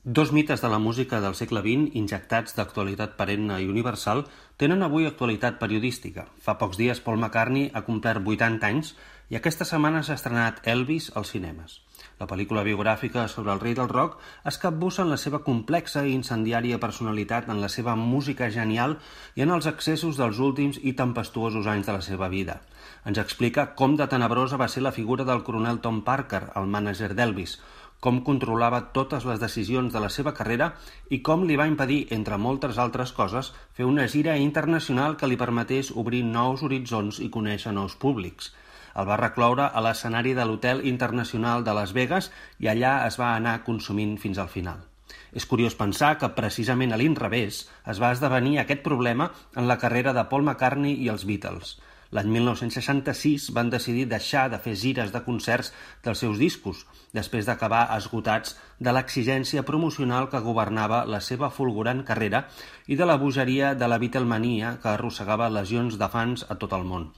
Dos mites de la música del segle XX, injectats d'actualitat perenne i universal, tenen avui actualitat periodística. Fa pocs dies Paul McCartney ha complert 80 anys i aquesta setmana s'ha estrenat Elvis als cinemes. La pel·lícula biogràfica sobre el rei del rock es capbussa en la seva complexa i incendiària personalitat, en la seva música genial i en els excessos dels últims i tempestuosos anys de la seva vida. Ens explica com de tenebrosa va ser la figura del coronel Tom Parker, el mànager d'Elvis, com controlava totes les decisions de la seva carrera i com li va impedir, entre moltes altres coses, fer una gira internacional que li permetés obrir nous horitzons i conèixer nous públics. El va recloure a l'escenari de l'Hotel Internacional de Las Vegas i allà es va anar consumint fins al final. És curiós pensar que precisament a l'inrevés es va esdevenir aquest problema en la carrera de Paul McCartney i els Beatles. L'any 1966 van decidir deixar de fer gires de concerts dels seus discos, després d'acabar esgotats de l'exigència promocional que governava la seva fulgurant carrera i de la bogeria de la Beatlemania que arrossegava legions de fans a tot el món.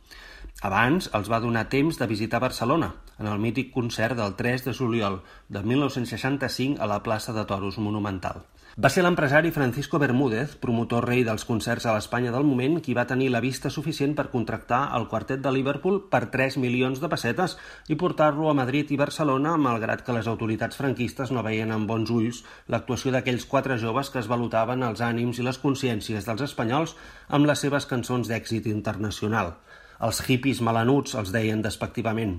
Abans els va donar temps de visitar Barcelona, en el mític concert del 3 de juliol de 1965 a la plaça de Toros Monumental. Va ser l'empresari Francisco Bermúdez, promotor rei dels concerts a l'Espanya del moment, qui va tenir la vista suficient per contractar el quartet de Liverpool per 3 milions de pessetes i portar-lo a Madrid i Barcelona, malgrat que les autoritats franquistes no veien amb bons ulls l'actuació d'aquells 4 joves que es valutaven els ànims i les consciències dels espanyols amb les seves cançons d'èxit internacional. Els hippies melanuts els deien despectivament.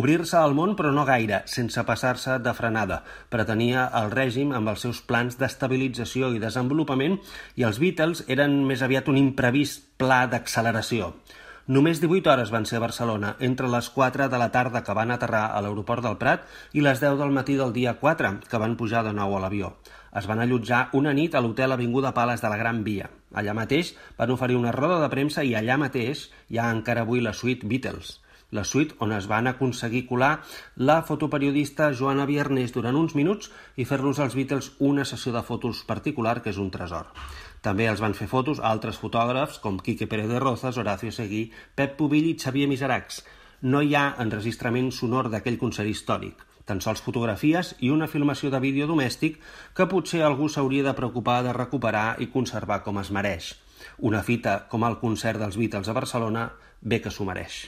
Obrir-se al món, però no gaire, sense passar-se de frenada. Pretenia el règim amb els seus plans d'estabilització i desenvolupament i els Beatles eren més aviat un imprevist pla d'acceleració. Només 18 hores van ser a Barcelona, entre les 4 de la tarda que van aterrar a l'aeroport del Prat i les 10 del matí del dia 4, que van pujar de nou a l'avió. Es van allotjar una nit a l'hotel Avinguda Pales de la Gran Via. Allà mateix van oferir una roda de premsa i allà mateix hi ha encara avui la suite Beatles. La suite on es van aconseguir colar la fotoperiodista Joana Biernés durant uns minuts i fer-los als Beatles una sessió de fotos particular que és un tresor. També els van fer fotos a altres fotògrafs com Quique Pérez de Rozas, Horacio Seguí, Pep Pubill i Xavier Miseracs. No hi ha enregistrament sonor d'aquell concert històric, tan sols fotografies i una filmació de vídeo domèstic que potser algú s'hauria de preocupar de recuperar i conservar com es mereix. Una fita com el concert dels Beatles a Barcelona bé que s'ho mereix.